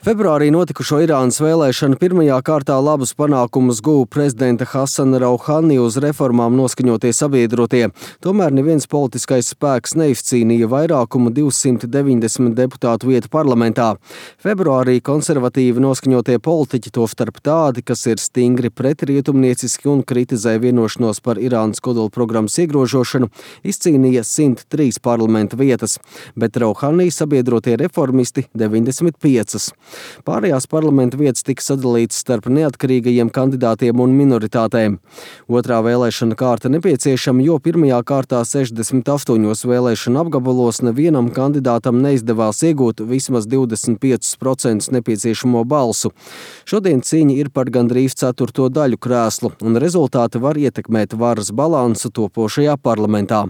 Februārī notikušo Irānas vēlēšanu pirmajā kārtā labus panākumus guva prezidenta Hasana Rouhani uz reformām noskaņotie sabiedrotie. Tomēr neviens politiskais spēks neizcīnīja vairākumu 290 deputātu vietu parlamentā. Februārī konservatīvi noskaņotie politiķi, tostarp tādi, kas ir stingri pretrietumnieciski un kritizē vienošanos par Irānas kodolprogrammas iegrožošanu, izcīnīja 103 parlamenta vietas, bet Rouhani sabiedrotie reformisti 95. Pārējās parlamenta vietas tika sadalītas starp neatkarīgajiem kandidātiem un minoritātēm. Otrā vēlēšana kārta nepieciešama, jo pirmajā kārtā 68 vēlēšana apgabalos nevienam kandidātam neizdevās iegūt vismaz 25% nepieciešamo balsu. Šodien cīņa ir par gandrīz ceturto daļu krēslu, un rezultāti var ietekmēt varas balansu topošajā parlamentā.